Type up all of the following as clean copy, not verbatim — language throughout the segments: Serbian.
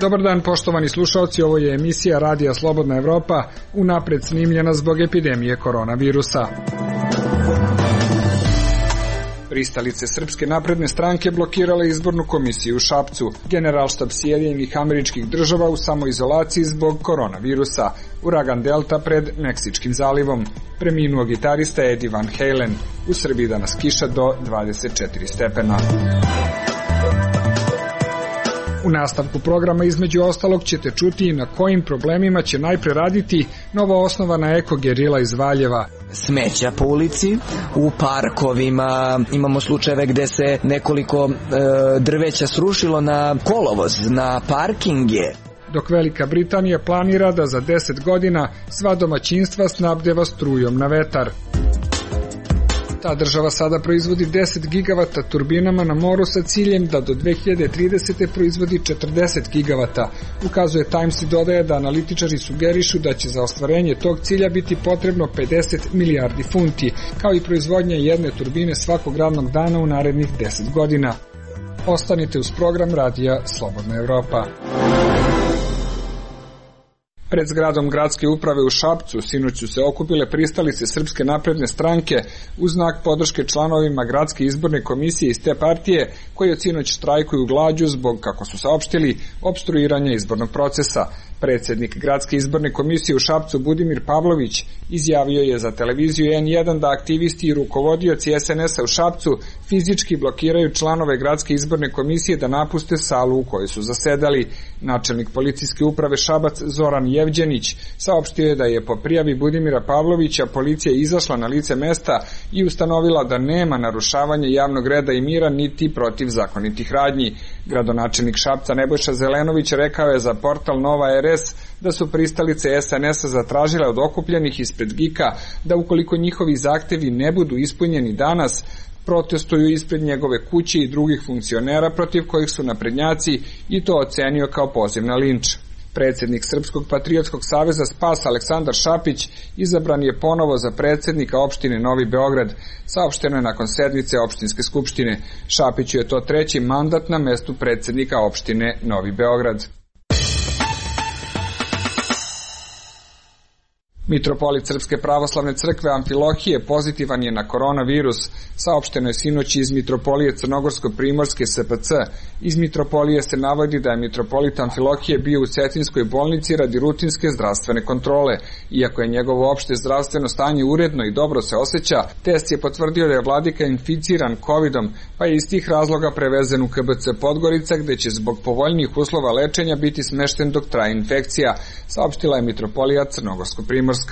Dobar dan, poštovani slušalci, ovo je emisija Radija Slobodna Evropa, unapred snimljena zbog epidemije koronavirusa. Pristalice Srpske napredne stranke blokirale izbornu komisiju u Šapcu. Generalštab Sjedinjenih Američkih Država u samoizolaciji zbog koronavirusa. Uragan Delta pred Meksičkim zalivom. Preminuo gitarista Eddie Van Halen. U Srbiji danas kiša do 24 stepena. U nastavku programa između ostalog ćete čuti i na kojim problemima će najpre raditi novo osnovana eko-gerila iz Valjeva. Smeća po ulici, u parkovima, imamo slučajeve gde se nekoliko drveća srušilo na kolovoz, na parkinge. Dok Velika Britanija planira da za 10 godina sva domaćinstva snabdeva strujom na vetar. Ta država sada proizvodi 10 gigavata turbinama na moru sa ciljem da do 2030. proizvodi 40 gigavata. Ukazuje Times i dodaje da analitičari sugerišu da će za ostvarenje tog cilja biti potrebno 50 milijardi funti, kao i proizvodnja jedne turbine svakog radnog dana u narednih 10 godina. Ostanite uz program Radija Slobodna Evropa. Pred zgradom gradske uprave u Šapcu sinoć su se okupile pristalice Srpske napredne stranke u znak podrške članovima gradske izborne komisije iz te partije koji od sinoć štrajkuju glađu zbog, kako su saopštili, opstruiranja izbornog procesa. Predsjednik gradske izborne komisije u Šapcu Budimir Pavlović izjavio je za televiziju N1 da aktivisti i rukovodioci SNS-a u Šapcu fizički blokiraju članove gradske izborne komisije da napuste salu u kojoj su zasedali. Načelnik policijske uprave Šabac Zoran Jevđenić saopštio je da je po prijavi Budimira Pavlovića policija izašla na lice mesta i ustanovila da nema narušavanja javnog reda i mira niti protivzakonitih radnji. Gradonačelnik Šapca Nebojša Zelenović rekao je za portal Nova RS da su pristalice SNS-a zatražile od okupljenih ispred GIK-a da ukoliko njihovi zahtevi ne budu ispunjeni danas, protestuju ispred njegove kuće i drugih funkcionera protiv kojih su naprednjaci i to ocenio kao poziv na linč. Predsjednik Srpskog patriotskog saveza Spas Aleksandar Šapić izabran je ponovo za predsjednika opštine Novi Beograd, saopšteno je nakon sednice opštinske skupštine. Šapiću je to treći mandat na mestu predsjednika opštine Novi Beograd. Mitropolit Srpske pravoslavne crkve Amfilohije pozitivan je na koronavirus, saopšteno je sinoć iz Mitropolije Crnogorsko-Primorske SPC. Iz Mitropolije se navodi da je mitropolit Amfilohije bio u Cetinskoj bolnici radi rutinske zdravstvene kontrole. Iako je njegovo opšte zdravstveno stanje uredno i dobro se osjeća, test je potvrdio da je vladika inficiran COVID-om, pa je iz tih razloga prevezen u KBC Podgorica, gde će zbog povoljnijih uslova lečenja biti smešten dok traje infekcija, saopštila je Mitropolija Crnogorsko-Primorska.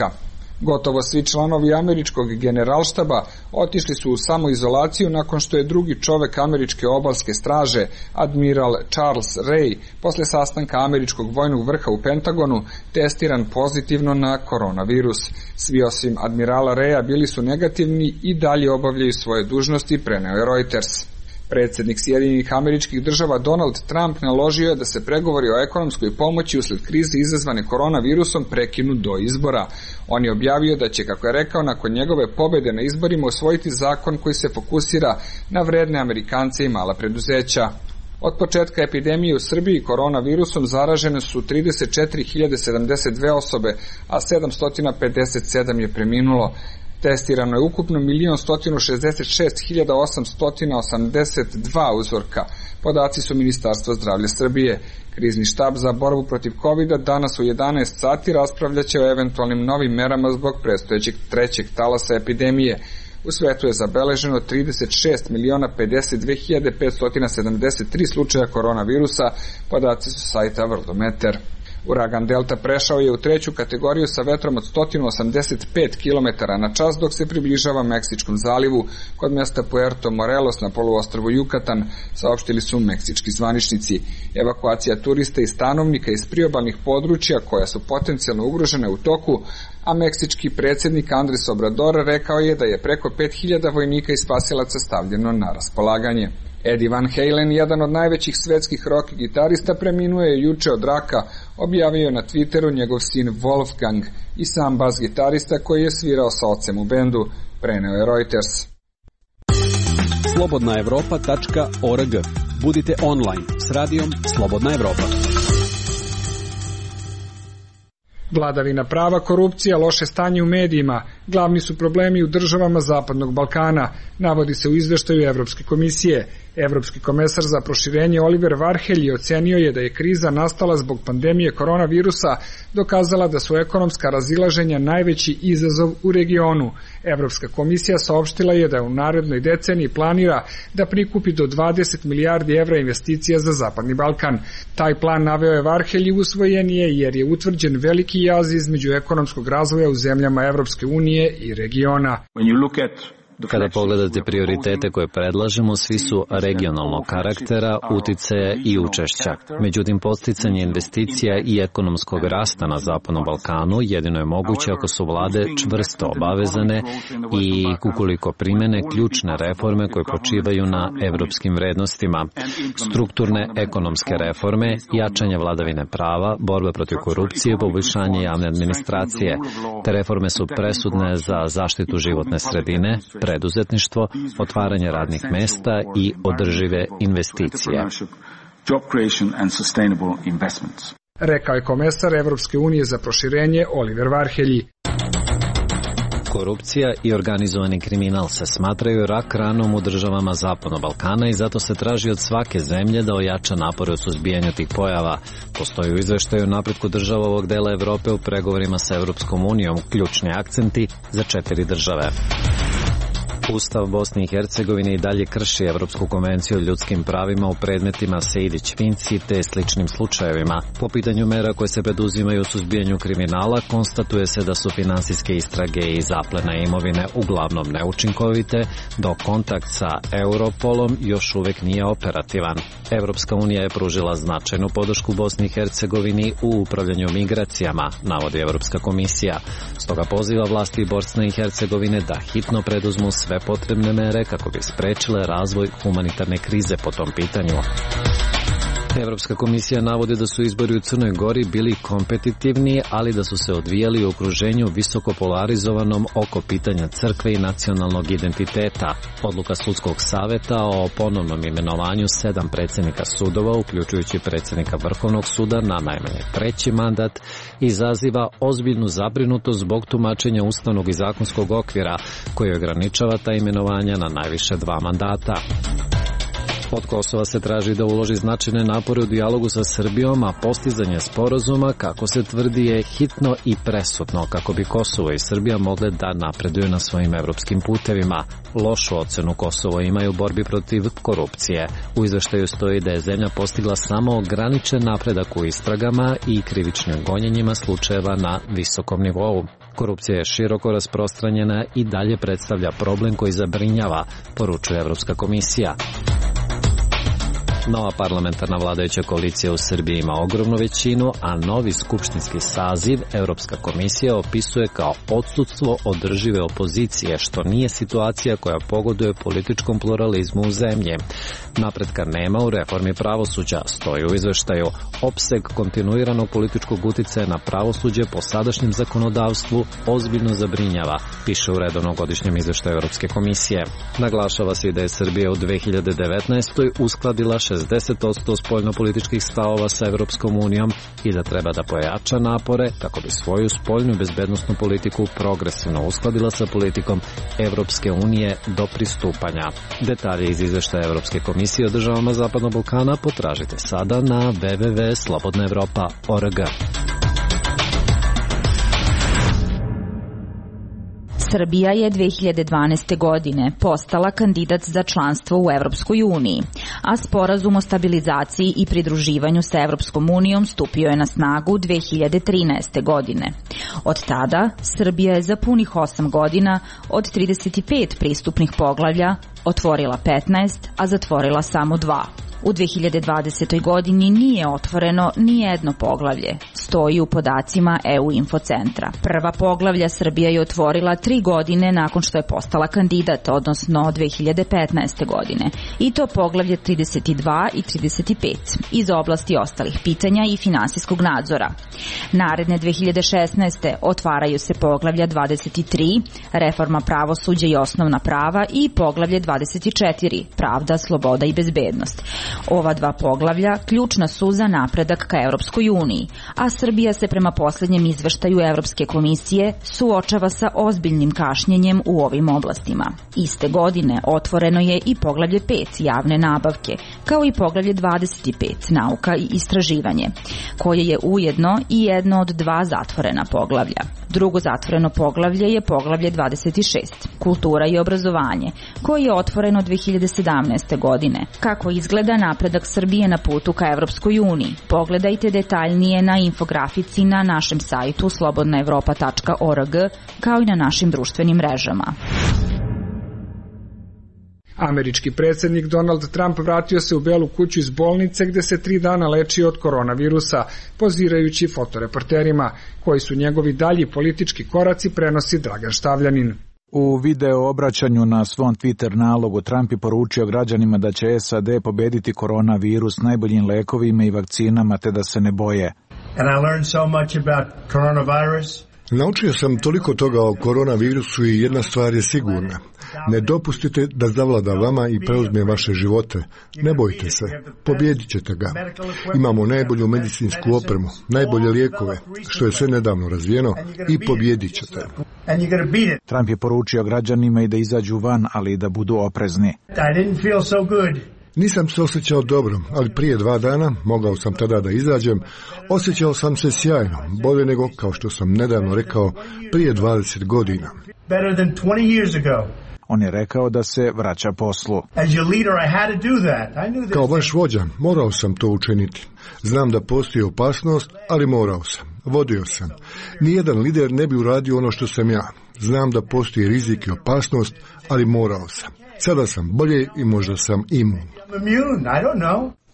Gotovo svi članovi američkog generalštaba otišli su u samoizolaciju nakon što je drugi čovek američke obalske straže, admiral Charles Ray, posle sastanka američkog vojnog vrha u Pentagonu, testiran pozitivno na koronavirus. Svi osim admirala Raya bili su negativni i dalje obavljaju svoje dužnosti, preneo je Reuters. Predsjednik Sjedinjenih Američkih Država Donald Trump naložio je da se pregovori o ekonomskoj pomoći usled krize izazvane koronavirusom prekinu do izbora. On je objavio da će, kako je rekao, nakon njegove pobede na izborima usvojiti zakon koji se fokusira na vredne Amerikance i mala preduzeća. Od početka epidemije u Srbiji koronavirusom zaražene su 34.072 osobe, a 757 je preminulo. Testirano je ukupno 1.166.882 uzorka. Podaci su Ministarstva zdravlja Srbije. Krizni štab za borbu protiv COVID-a danas u 11 sati raspravljaće o eventualnim novim merama zbog predstojećeg trećeg talasa epidemije. U svetu je zabeleženo 36.052.573 slučaja koronavirusa, podaci su sajta Worldometer. Uragan Delta prešao je u treću kategoriju sa vetrom od 185 km na čas dok se približava Meksičkom zalivu kod mesta Puerto Morelos na poluostrvu Jukatan, saopštili su meksički zvaničnici. Evakuacija turista i stanovnika iz priobalnih područja koja su potencijalno ugrožene u toku, a meksički predsjednik Andres Obrador rekao je da je preko 5000 vojnika i spasilaca stavljeno na raspolaganje. Eddie Van Halen, jedan od najvećih svetskih rock gitarista, preminuo je juče od raka, objavio je na Twitteru njegov sin Wolfgang i sam bas gitarista koji je svirao sa ocem u bendu, preneo je Reuters. Slobodnaevropa.org. Budite online s radijom Slobodna Evropa. Vladavina prava, korupcija, loše stanje u medijima glavni su problemi u državama Zapadnog Balkana, navodi se u izveštaju Evropske komisije. Evropski komesar za proširenje Oliver Varhelyi ocenio je da je kriza nastala zbog pandemije koronavirusa dokazala da su ekonomska razilaženja najveći izazov u regionu. Evropska komisija saopštila je da u narednoj deceniji planira da prikupi do 20 milijardi evra investicija za Zapadni Balkan. Taj plan, naveo je Varhelyi, usvojen je jer je utvrđen veliki jaz između ekonomskog razvoja u zemljama Evropske unije i regiona. Kada pogledate prioritete koje predlažemo, svi su regionalnog karaktera, uticaja i učešća. Međutim, podsticanje investicija i ekonomskog rasta na Zapadnom Balkanu jedino je moguće ako su vlade čvrsto obavezane i ukoliko primene ključne reforme koje počivaju na evropskim vrednostima. Strukturne ekonomske reforme, jačanje vladavine prava, borba protiv korupcije, poboljšanje javne administracije. Te reforme su presudne za zaštitu životne sredine, preduzetništvo, otvaranje radnih mesta i održive investicije. Rekao je komesar Evropske unije za proširenje Oliver Varhelyi. Korupcija i organizovani kriminal se smatraju rak ranom u državama Zapadnog Balkana i zato se traži od svake zemlje da ojača napore u suzbijanju tih pojava. Postoji u izveštaju napretku država ovog dela Evrope u pregovorima sa Evropskom unijom ključni akcenti za 4 države. Ustav Bosne i Hercegovine i dalje krši Evropsku konvenciju o ljudskim pravima u predmetima Sejdić-Finci te sličnim slučajevima. Po pitanju mera koje se preduzimaju u suzbijanju kriminala, konstatuje se da su finansijske istrage i zaplena imovine uglavnom neučinkovite, dok kontakt sa Europolom još uvek nije operativan. Evropska unija je pružila značajnu podršku Bosni i Hercegovini u upravljanju migracijama, navodi Evropska komisija. Stoga poziva vlasti Bosne i Hercegovine da hitno preduzmu sve potrebne mere kako bi sprečile razvoj humanitarne krize po tom pitanju. Evropska komisija navodi da su izbori u Crnoj Gori bili kompetitivni, ali da su se odvijali u okruženju visoko polarizovanom oko pitanja crkve i nacionalnog identiteta. Odluka sudskog saveta o ponovnom imenovanju 7 predsjednika sudova, uključujući predsjednika Vrhovnog suda na najmanje 3. mandat, izaziva ozbiljnu zabrinutost zbog tumačenja ustavnog i zakonskog okvira koji ograničava ta imenovanja na najviše 2 mandata. Od Kosova se traži da uloži značajne napore u dijalogu sa Srbijom, a postizanje sporazuma, kako se tvrdi, je hitno i presudno kako bi Kosovo i Srbija mogle da napreduju na svojim evropskim putevima. Lošu ocenu Kosovo imaju u borbi protiv korupcije. U izveštaju stoji da je zemlja postigla samo ograničen napredak u istragama i krivičnim gonjenjima slučajeva na visokom nivou. Korupcija je široko rasprostranjena i dalje predstavlja problem koji zabrinjava, poručuje Evropska komisija. Nova parlamentarna vladajuća koalicija u Srbiji ima ogromnu većinu, a novi skupštinski saziv Evropska komisija opisuje kao odsudstvo održive opozicije, što nije situacija koja pogoduje političkom pluralizmu u zemlji. Napretka nema u reformi pravosuđa, stoji u izveštaju. Opseg kontinuiranog političkog uticaja na pravosuđe po sadašnjem zakonodavstvu ozbiljno zabrinjava, piše u redovnom godišnjem izveštaju Evropske komisije. Naglašava se i da je Srbija u 2019. uskladila 60% spoljnopolitičkih stavova sa Evropskom unijom i da treba da pojača napore kako bi svoju spoljnu bezbednosnu politiku progresivno uskladila sa politikom Evropske unije do pristupanja. Detalje iz izveštaja Evropske komisije o državama Zapadnog Balkana potražite sada na www.slobodnaevropa.org. Srbija je 2012. godine postala kandidat za članstvo u Evropskoj uniji, a sporazum o stabilizaciji i pridruživanju sa Evropskom unijom stupio je na snagu 2013. godine. Od tada Srbija je za punih 8 godina od 35 pristupnih poglavlja otvorila 15, a zatvorila samo 2. U 2020. godini nije otvoreno ni jedno poglavlje, stoji u podacima EU Infocentra. Prva poglavlja Srbija je otvorila 3 godine nakon što je postala kandidat, odnosno 2015. godine, i to poglavlje 32 i 35 iz oblasti ostalih pitanja i finansijskog nadzora. Naredne 2016. otvaraju se poglavlja 23, reforma pravosuđa i osnovna prava, i poglavlje 24, pravda, sloboda i bezbednost. Ova dva poglavlja ključna su za napredak ka Evropskoj uniji, a Srbija se prema poslednjem izveštaju Evropske komisije suočava sa ozbiljnim kašnjenjem u ovim oblastima. Iste godine otvoreno je i poglavlje 5 javne nabavke, kao i poglavlje 25 nauka i istraživanje, koje je ujedno i jedno od dva zatvorena poglavlja. Drugo zatvoreno poglavlje je poglavlje 26, kultura i obrazovanje, koje je otvoreno 2017. godine. Kako izgleda napredak Srbije na putu ka Evropskoj uniji? Pogledajte detaljnije na infografici na našem sajtu slobodnaevropa.org, kao i na našim društvenim mrežama. Američki predsjednik Donald Trump vratio se u Belu kuću iz bolnice gde se 3 dana lečio od koronavirusa, pozirajući fotoreporterima, koji su njegovi dalji politički koraci, prenosi Dragan Štavljanin. U video obraćanju na svom Twitter nalogu Trump je poručio građanima da će SAD pobediti koronavirus najboljim lekovima i vakcinama, te da se ne boje. And I learned so much about coronavirus. Naučio sam toliko toga o koronavirusu i jedna stvar je sigurna. Ne dopustite da zavlada vama i preuzme vaše živote. Ne bojte se, pobjedit ćete ga. Imamo najbolju medicinsku opremu, najbolje lijekove, što je sve nedavno razvijeno, i pobjedit ćete. Trump je poručio građanima i da izađu van, ali i da budu oprezni. Nisam se osjećao dobro, ali prije 2 dana, mogao sam tada da izađem, osjećao sam se sjajno, bolje nego, kao što sam nedavno rekao, prije 20 godina. On je rekao da se vraća poslu. Kao vaš vođa, morao sam to učiniti. Znam da postoji opasnost, ali morao sam. Vodio sam. Nijedan lider ne bi uradio ono što sam ja. Znam da postoji rizik i opasnost, ali morao sam. Sada sam bolje i možda sam imun.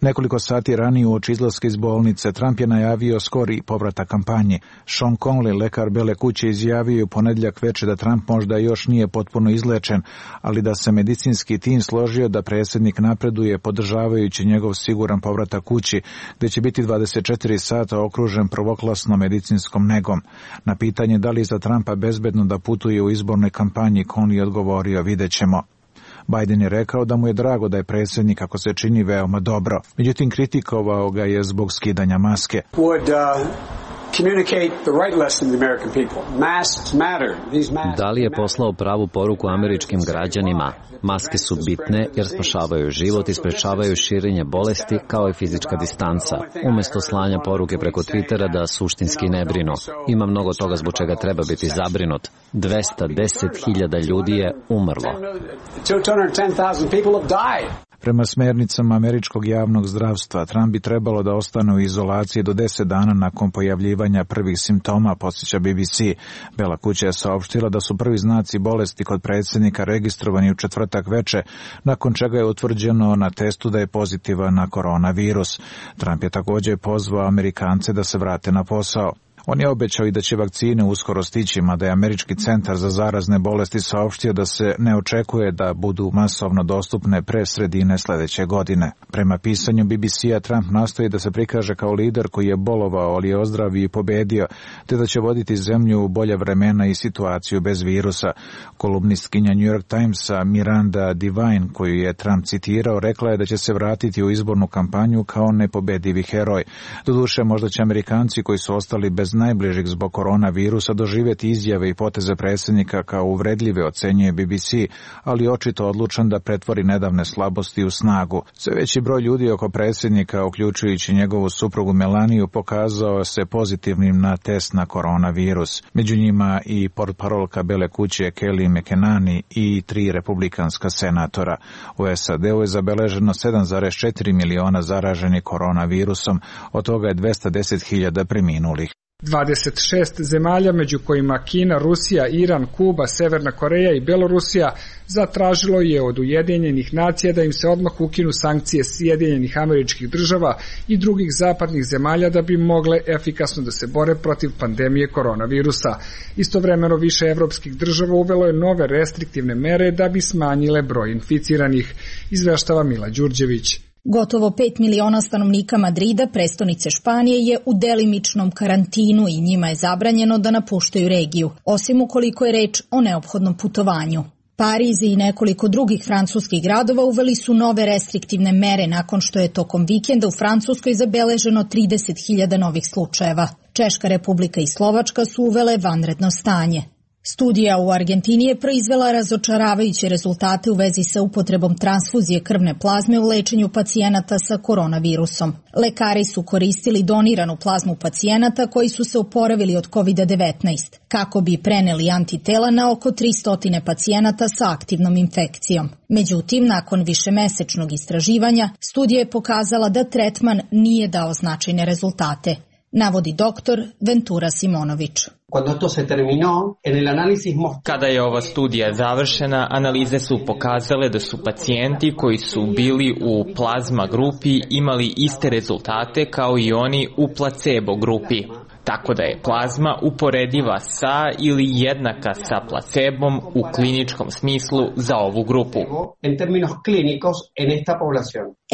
Nekoliko sati ranije uoči izlaska iz bolnice Trump je najavio skori povratak kampanji. Sean Conley, lekar Bele kuće, izjavio u ponedjeljak veče da Trump možda još nije potpuno izlečen, ali da se medicinski tim složio da predsjednik napreduje podržavajući njegov siguran povratak kući, gde će biti 24 sata okružen prvoklasnom medicinskom negom. Na pitanje da li za Trumpa bezbedno da putuje u izbornoj kampanji, Conley odgovorio: vidjet ćemo. Biden je rekao da mu je drago da je predsjednik, ako se čini, veoma dobro. Međutim, kritikovao ga je zbog skidanja maske. Da li je poslao pravu poruku američkim građanima? Maske su bitne jer spašavaju život i sprečavaju širenje bolesti, kao i fizička distanca. Umjesto slanja poruke preko Twittera da suštinski ne brinu. Ima mnogo toga zbog čega treba biti zabrinut. 210.000 ljudi je umrlo. Prema smernicama američkog javnog zdravstva, Trump bi trebalo da ostane u izolaciji do 10 dana nakon pojavljivanja prvih simptoma, podsjeća BBC. Bela kuća je saopštila da su prvi znaci bolesti kod predsjednika registrovani u četvrtak veče, nakon čega je utvrđeno na testu da je pozitivan na koronavirus. Trump je također pozvao Amerikance da se vrate na posao. On je obećao i da će vakcine uskoro stići, mada je Američki centar za zarazne bolesti saopštio da se ne očekuje da budu masovno dostupne pre sredine sljedeće godine. Prema pisanju BBC-a, Trump nastoji da se prikaže kao lider koji je bolovao, ali je ozdravio i pobedio, te da će voditi zemlju u bolja vremena i situaciju bez virusa. Kolumnistkinja New York Timesa Miranda Devine, koju je Trump citirao, rekla je da će se vratiti u izbornu kampanju kao nepobedivi heroj. Doduše, možda će Amerikanci koji su ostali bez najbližih zbog koronavirusa doživjeti izjave i poteze predsjednika kao uvredljive, ocenjuje BBC, ali očito odlučan da pretvori nedavne slabosti u snagu. Sve veći broj ljudi oko predsjednika, uključujući njegovu suprugu Melaniju, pokazao se pozitivnim na test na koronavirus. Među njima i portparolka Bele kuće Kelly McEnany i 3 republikanska senatora. U SAD-u je zabeleženo 7,4 miliona zaraženih koronavirusom, od toga je 210.000 preminulih. 26 zemalja, među kojima Kina, Rusija, Iran, Kuba, Severna Koreja i Belorusija, zatražilo je od Ujedinjenih nacija da im se odmah ukinu sankcije Sjedinjenih Američkih Država i drugih zapadnih zemalja da bi mogle efikasno da se bore protiv pandemije koronavirusa. Istovremeno više evropskih država uvelo je nove restriktivne mere da bi smanjile broj inficiranih, izveštava Mila Đurđević. Gotovo 5 miliona stanovnika Madrida, prestonice Španije, je u delimičnom karantinu i njima je zabranjeno da napuštaju regiju, osim ukoliko je reč o neophodnom putovanju. Pariz i nekoliko drugih francuskih gradova uveli su nove restriktivne mere nakon što je tokom vikenda u Francuskoj zabeleženo 30.000 novih slučajeva. Češka Republika i Slovačka su uvele vanredno stanje. Studija u Argentini je proizvela razočaravajuće rezultate u vezi sa upotrebom transfuzije krvne plazme u lečenju pacijenata sa koronavirusom. Lekari su koristili doniranu plazmu pacijenata koji su se oporavili od COVID-19, kako bi preneli antitela na oko 300 pacijenata sa aktivnom infekcijom. Međutim, nakon višemesečnog istraživanja, studija je pokazala da tretman nije dao značajne rezultate, navodi doktor Ventura Simonović. Kada je ova studija završena, analize su pokazale da su pacijenti koji su bili u plazma grupi imali iste rezultate kao i oni u placebo grupi. Tako da je plazma uporediva sa ili jednaka sa placebom u kliničkom smislu za ovu grupu.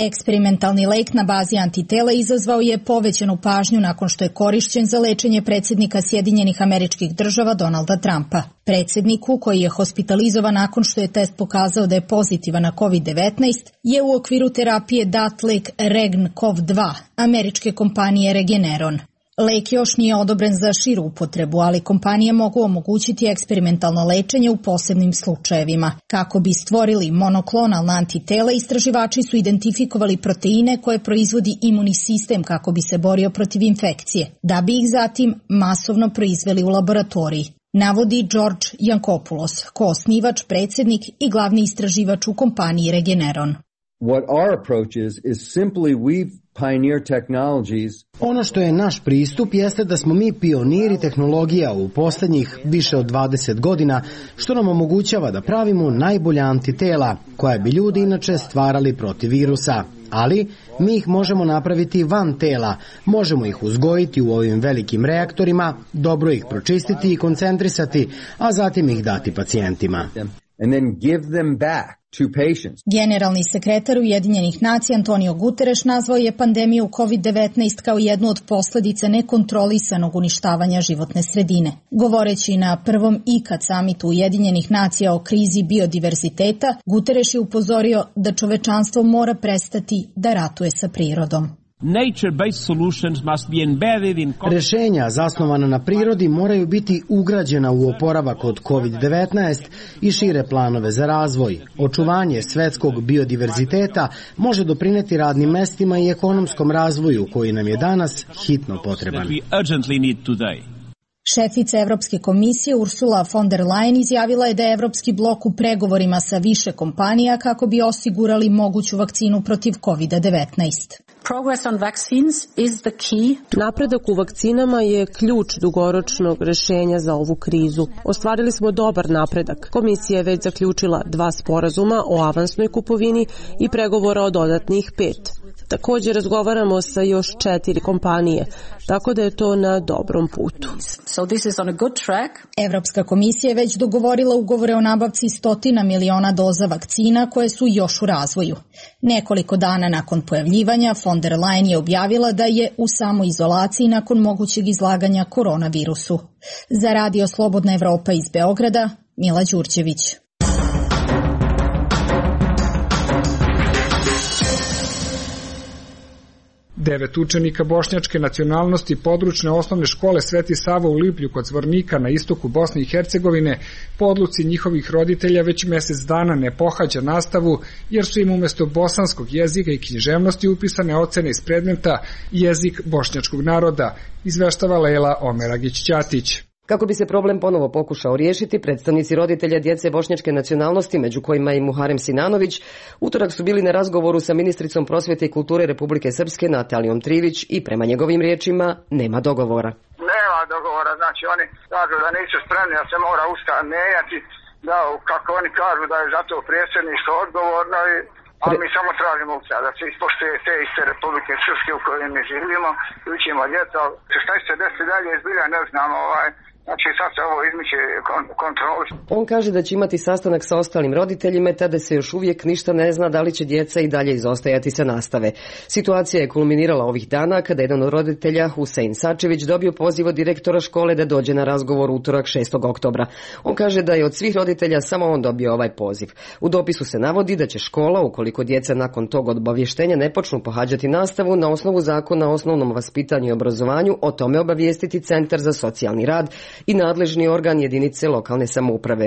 Eksperimentalni lek na bazi antitela izazvao je povećanu pažnju nakon što je korišćen za lečenje predsjednika Sjedinjenih Američkih Država Donalda Trumpa. Predsjedniku, koji je hospitalizovan nakon što je test pokazao da je pozitivan na COVID-19, je u okviru terapije dat lek Regn-CoV-2 američke kompanije Regeneron. Lek još nije odobren za širu upotrebu, ali kompanije mogu omogućiti eksperimentalno lečenje u posebnim slučajevima. Kako bi stvorili monoklonalna antitela, istraživači su identifikovali proteine koje proizvodi imunni sistem kako bi se borio protiv infekcije, da bi ih zatim masovno proizveli u laboratoriji, navodi George Yankopoulos, koosnivač, predsjednik i glavni istraživač u kompaniji Regeneron. What our approach is simply we've pioneer technologies. Ono što je naš pristup jeste da smo mi pioniri tehnologija u posljednjih više od 20 godina, što nam omogućava da pravimo najbolja antitela, koja bi ljudi inače stvarali protiv virusa. Ali mi ih možemo napraviti van tela, možemo ih uzgojiti u ovim velikim reaktorima, dobro ih pročistiti i koncentrisati, a zatim ih dati pacijentima. And then give them back to patients. Generalni sekretar Ujedinjenih nacija Antonio Guterres nazvao je pandemiju COVID-19 kao jednu od posljedica nekontrolisanog uništavanja životne sredine. Govoreći na prvom ikad samitu Ujedinjenih nacija o krizi biodiverziteta, Guterres je upozorio da čovečanstvo mora prestati da ratuje sa prirodom. Rešenja zasnovana na prirodi moraju biti ugrađena u oporavak od COVID-19 i šire planove za razvoj. Očuvanje svetskog biodiverziteta može doprineti radnim mestima i ekonomskom razvoju koji nam je danas hitno potreban. Šefica Evropske komisije Ursula von der Leyen izjavila je da je Evropski blok u pregovorima sa više kompanija kako bi osigurali moguću vakcinu protiv COVID-19. Napredak u vakcinama je ključ dugoročnog rešenja za ovu krizu. Ostvarili smo dobar napredak. Komisija je već zaključila 2 sporazuma o avansnoj kupovini i pregovora o dodatnih 5. Također razgovaramo sa još 4 kompanije, tako da je to na dobrom putu. Evropska komisija je već dogovorila ugovore o nabavci 100 miliona doza vakcina koje su još u razvoju. Nekoliko dana nakon pojavljivanja, von der Leyen je objavila da je u samoizolaciji nakon mogućeg izlaganja koronavirusu. Za Radio Slobodna Evropa iz Beograda, Mila Đurđević. Devet učenika bošnjačke nacionalnosti područne osnovne škole Sveti Sava u Liplju kod Zvornika na istoku Bosne i Hercegovine po odluci njihovih roditelja već mjesec dana ne pohađa nastavu jer su im umjesto bosanskog jezika i književnosti upisane ocene iz predmeta jezik bošnjačkog naroda, izveštava Lejla Omeragić-Ćatić. Kako bi se problem ponovo pokušao riješiti, predstavnici roditelja djece bošnjačke nacionalnosti, među kojima i Muharem Sinanović, utorak su bili na razgovoru sa ministricom prosvjete i kulture Republike Srpske Natalijom Trivić i prema njegovim riječima nema dogovora. Nema dogovora, znači oni kažu da nisu spremni, da se mora Ustav mijenjati, da kako oni kažu da je zato predsjedništvo odgovorno, a mi samo tražimo Ustav, da se ispoštuje te iste Republike Srpske u kojoj mi živimo, učimo djeca. Šta će se desiti dalje, zbilja ne znamo, Znači sad se ovo izmiče kontroli. On kaže da će imati sastanak sa ostalim roditeljima, tada se još uvijek ništa ne zna da li će djeca i dalje izostajati sa nastave. Situacija je kulminirala ovih dana kada jedan od roditelja, Husein Sačević, dobio poziv od direktora škole da dođe na razgovor utorak 6. oktobra. On kaže da je od svih roditelja samo on dobio ovaj poziv. U dopisu se navodi da će škola, ukoliko djeca nakon tog obavještenja ne počnu pohađati nastavu, na osnovu zakona o osnovnom vaspitanju i obrazovanju, o tome obavijestiti Centar za socijalni rad i nadležni organ jedinice lokalne samouprave.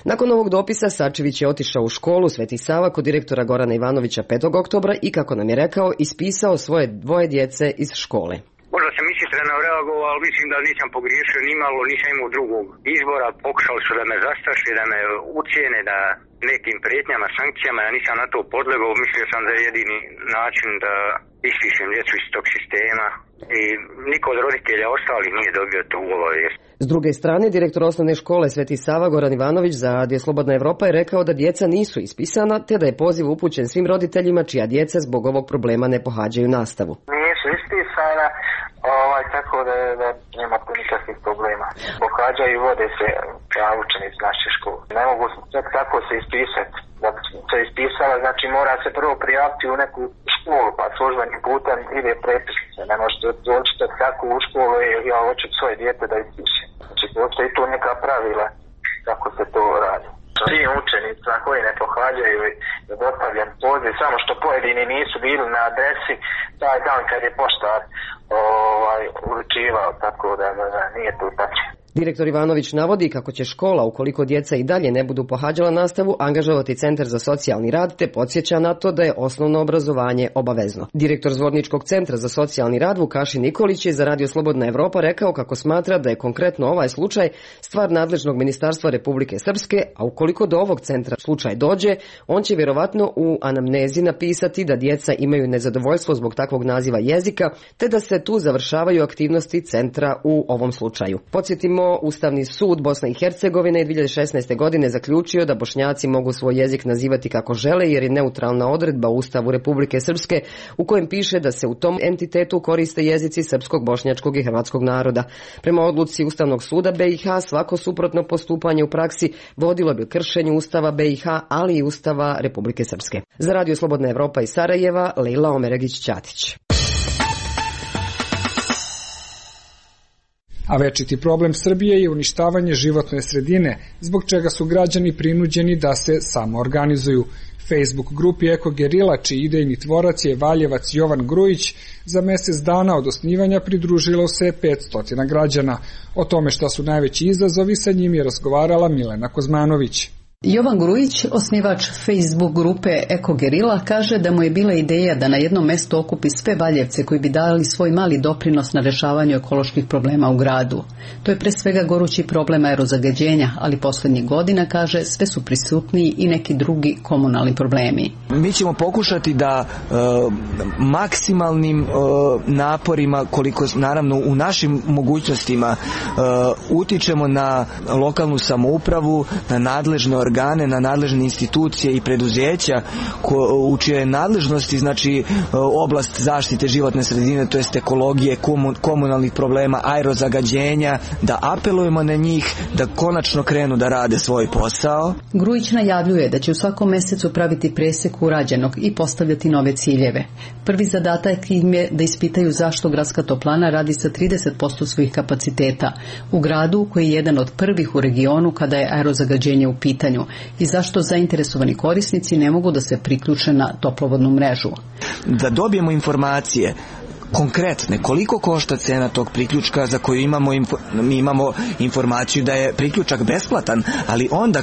Nakon ovog dopisa Sačević je otišao u školu Sveti Sava kod direktora Gorana Ivanovića 5. oktobra i, kako nam je rekao, ispisao svoje 2 djece iz škole. Možda sam ishitreno reagovao, ali mislim da nisam pogriješio nimalo, nisam imao drugog izbora. Pokušali su da me zastraše, da me ucijene, da nekim prijetnjama, sankcijama, ja nisam na to podlegao. Mislio sam da je jedini način da ispišem djecu iz tog sistema i niko od roditelja ostali nije dobio tu obavijest. S druge strane, direktor osnovne škole Sveti Sava Goran Ivanović za Radio Slobodna Evropa je rekao da djeca nisu ispisana, te da je poziv upućen svim roditeljima čija djeca zbog ovog problema ne pohađaju nastavu. Nisu ispisana, tako da nema tu nikakvih problema. Pohađaju i vode se učenici naše škole. Ne mogu tako se ispisati. Da bi se ispisala, znači mora se prvo prijaviti u neku školu, pa službenim putem ide prepisnice. Ne možete doći tako u školu i ja hoću svoje dijete da ispiše. Znači postoji tu neka pravila kako se to radi. Svi učenica koji ne pohađaju je dostavljen poziv, samo što pojedini nisu bili na adresi taj dan kad je poštar uručivao, tako da nije to tačno. Direktor Ivanović navodi kako će škola, ukoliko djeca i dalje ne budu pohađala nastavu, angažovati Centar za socijalni rad, te podsjeća na to da je osnovno obrazovanje obavezno. Direktor Zvorničkog centra za socijalni rad Vukašin Nikolić je za Radio Slobodna Evropa rekao kako smatra da je konkretno ovaj slučaj stvar nadležnog ministarstva Republike Srpske, a ukoliko do ovog centra slučaj dođe, on će vjerovatno u anamnezi napisati da djeca imaju nezadovoljstvo zbog takvog naziva jezika, te da se tu završavaju aktivnosti centra u ovom slučaju. Podsjetimo, Ustavni sud Bosne i Hercegovine je 2016. godine zaključio da Bošnjaci mogu svoj jezik nazivati kako žele, jer je neutralna odredba u Ustavu Republike Srpske u kojem piše da se u tom entitetu koriste jezici srpskog, bošnjačkog i hrvatskog naroda. Prema odluci Ustavnog suda BiH, svako suprotno postupanje u praksi vodilo bi kršenju Ustava BiH, ali i Ustava Republike Srpske. Za Radio Slobodna Evropa iz Sarajeva, Lejla Omeregić-Ćatić. A večiti problem Srbije je uništavanje životne sredine, zbog čega su građani prinuđeni da se samoorganizuju. Facebook grupi Eko Gerila, čiji idejni tvorac je Valjevac Jovan Grujić, za mjesec dana od osnivanja pridružilo se 500 građana. O tome šta su najveći izazovi, sa njim je razgovarala Milena Kozmanović. Jovan Grujić, osnivač Facebook grupe Eko Gerila, kaže da mu je bila ideja da na jednom mjestu okupi sve Valjevce koji bi dali svoj mali doprinos na rješavanju ekoloških problema u gradu. To je pre svega gorući problem aerozagađenja, ali posljednjih godina, kaže, sve su prisutniji i neki drugi komunalni problemi. Mi ćemo pokušati da maksimalnim naporima, koliko naravno u našim mogućnostima, utičemo na lokalnu samoupravu, na nadležne organe, na nadležne institucije i preduzeća u čijoj nadležnosti, znači oblast zaštite životne sredine, to jest ekologije, komunalnih problema, aerozagađenja, da apelujemo na njih da konačno krenu da rade svoj posao. Grujić najavljuje da će u svakom mjesecu praviti presek urađenog i postavljati nove ciljeve. Prvi zadatak im je da ispitaju zašto gradska toplana radi sa 30% svojih kapaciteta u gradu koji je jedan od prvih u regionu kada je aerozagađenje u pitanju i zašto zainteresovani korisnici ne mogu da se priključe na toplovodnu mrežu. Da dobijemo informacije konkretne, koliko košta cena tog priključka za koju imamo informaciju da je priključak besplatan, ali onda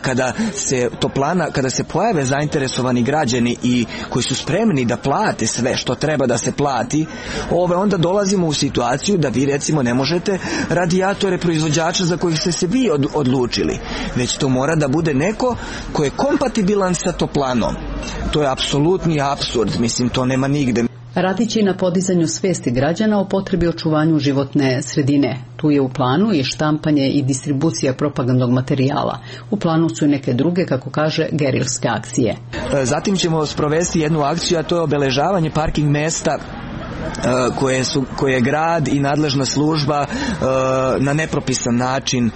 kada se pojave zainteresovani građani i koji su spremni da plate sve što treba da se plati, onda dolazimo u situaciju da vi recimo ne možete radijatore proizvođača za kojih ste se vi odlučili, već to mora da bude neko ko je kompatibilan sa toplanom. To je apsolutni apsurd, mislim, to nema nigde. Radit će i na podizanju svijesti građana o potrebi očuvanju životne sredine. Tu je u planu i štampanje i distribucija propagandnog materijala. U planu su i neke druge, kako kaže, gerilske akcije. Zatim ćemo sprovesti jednu akciju, a to je obeležavanje parking mesta koje grad i nadležna služba na nepropisan način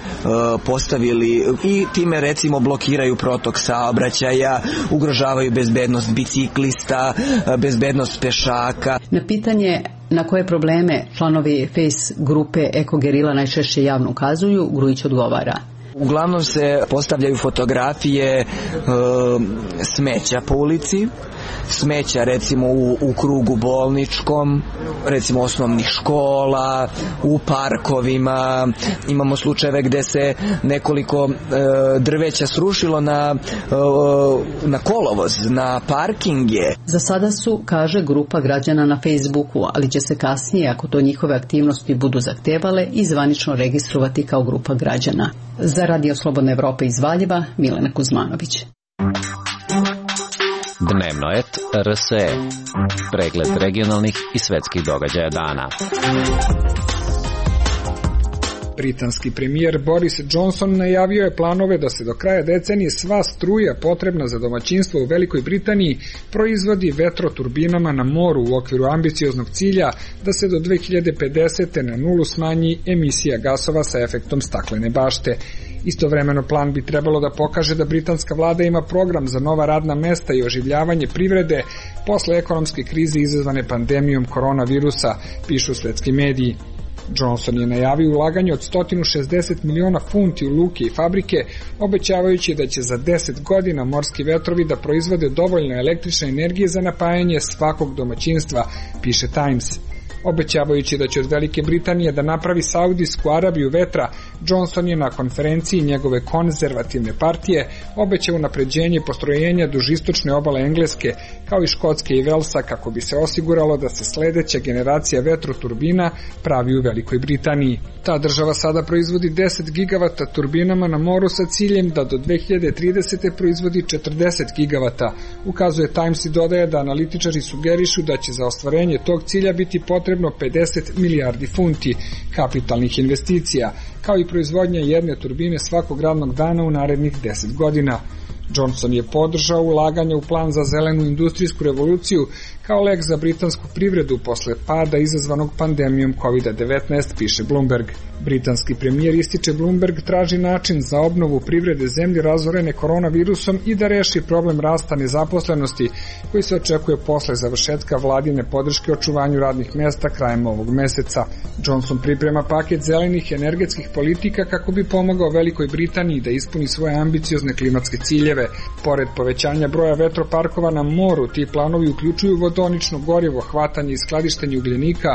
postavili i time recimo blokiraju protok saobraćaja, ugrožavaju bezbednost biciklista, bezbednost pešaka. Na pitanje na koje probleme članovi Face grupe Ekogerila najčešće javno ukazuju, Grujić odgovara. Uglavnom se postavljaju fotografije smeća po ulici, smeća recimo u krugu bolničkom, recimo osnovnih škola, u parkovima. Imamo slučajeve gde se nekoliko drveća srušilo na kolovoz, na parkinge. Za sada su, kaže, grupa građana na Facebooku, ali će se kasnije, ako to njihove aktivnosti budu zahtevale, i zvanično registrovati kao grupa građana. Za Radio Slobodna Evropa iz Valjeva, Milena Kuzmanović. Dnevnoet RSE. Pregled regionalnih i svetskih događaja dana. Britanski premijer Boris Johnson najavio je planove da se do kraja decenije sva struja potrebna za domaćinstvo u Velikoj Britaniji proizvodi vetroturbinama na moru u okviru ambicioznog cilja da se do 2050. na nulu smanji emisija gasova sa efektom staklene bašte. Istovremeno plan bi trebalo da pokaže da britanska vlada ima program za nova radna mesta i oživljavanje privrede posle ekonomske krize izazvane pandemijom koronavirusa, pišu svetski mediji. Johnson je najavio ulaganje od 160 miliona funti u luke i fabrike, obećavajući da će za 10 godina morski vetrovi da proizvode dovoljno električne energije za napajanje svakog domaćinstva, piše Times. Obećavajući da će od Velike Britanije da napravi Saudijsku Arabiju vetra, Johnson je na konferenciji njegove konzervativne partije obećao unapređenje postrojenja duž istočne obale Engleske, kao i Škotske i Velsa, kako bi se osiguralo da se sledeća generacija vetroturbina pravi u Velikoj Britaniji. Ta država sada proizvodi 10 gigavata turbinama na moru sa ciljem da do 2030. proizvodi 40 gigavata. Ukazuje Times i dodaje da analitičari sugerišu da će za ostvarenje tog cilja biti potrebno 50 milijardi funti kapitalnih investicija, kao i proizvodnja jedne turbine svakog radnog dana u narednih 10 godina. Johnson je podržao ulaganje u plan za zelenu industrijsku revoluciju kao lek za britansku privredu posle pada izazvanog pandemijom COVID-19, piše Bloomberg. Britanski premijer, ističe Bloomberg, traži način za obnovu privrede zemlje razorene koronavirusom i da reši problem rasta nezaposlenosti koji se očekuje posle završetka vladine podrške očuvanju radnih mesta krajem ovog meseca. Johnson priprema paket zelenih energetskih politika kako bi pomogao Velikoj Britaniji da ispuni svoje ambiciozne klimatske ciljeve. Pored povećanja broja vetroparkova na moru, ti planovi uključuju vodonično gorivo, hvatanje i skladištenje ugljenika,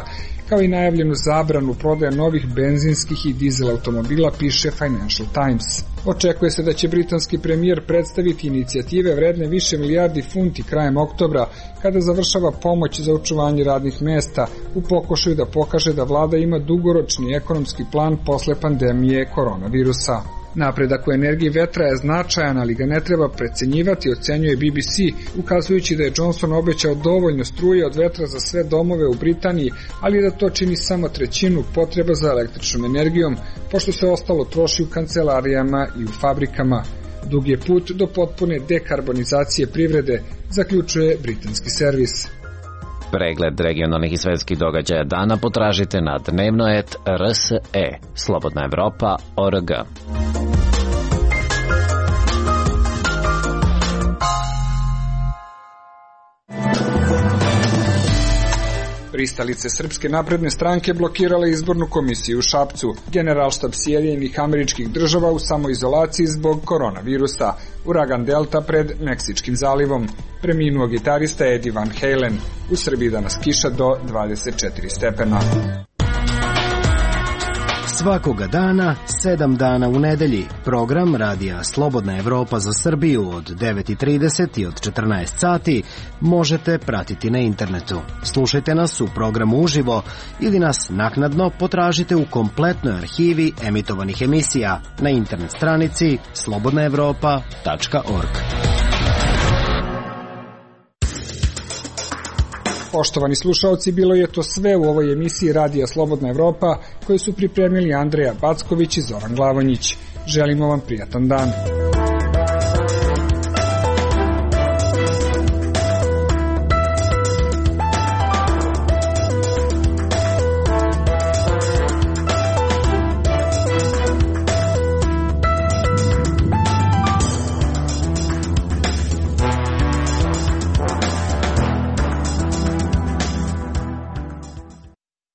kao i najavljenu zabranu prodaje novih benzinskih i dizel automobila, piše Financial Times. Očekuje se da će britanski premijer predstaviti inicijative vredne više milijardi funti krajem oktobra, kada završava pomoć za očuvanje radnih mesta, u pokušaju da pokaže da vlada ima dugoročni ekonomski plan posle pandemije koronavirusa. Napredak u energiji vetra je značajan, ali ga ne treba precenjivati, ocenjuje BBC, ukazujući da je Johnson obećao dovoljno struje od vetra za sve domove u Britaniji, ali da to čini samo trećinu potreba za električnom energijom, pošto se ostalo troši u kancelarijama i u fabrikama. Dug je put do potpune dekarbonizacije privrede, zaključuje britanski servis. Pregled regionalnih i svetskih događaja dana potražite na dnevnoet RSE, Slobodna Evropa.org. Pristalice Srpske napredne stranke blokirale izbornu komisiju u Šapcu. Generalštab Sjedinjenih Američkih Država u samoizolaciji zbog koronavirusa. Uragan Delta pred Meksičkim zalivom. Preminuo gitarista Eddie Van Halen. U Srbiji danas kiša do 24 stepena. Svakoga dana, 7 dana u nedelji. Program Radija Slobodna Evropa za Srbiju od 9:30 i od 14 sati možete pratiti na internetu. Slušajte nas u programu uživo ili nas naknadno potražite u kompletnoj arhivi emitovanih emisija na internet stranici slobodnaevropa.org. Poštovani slušaoci, bilo je to sve u ovoj emisiji Radija Slobodna Evropa, koju su pripremili Andreja Backović i Zoran Glavonjić. Želimo vam prijatan dan.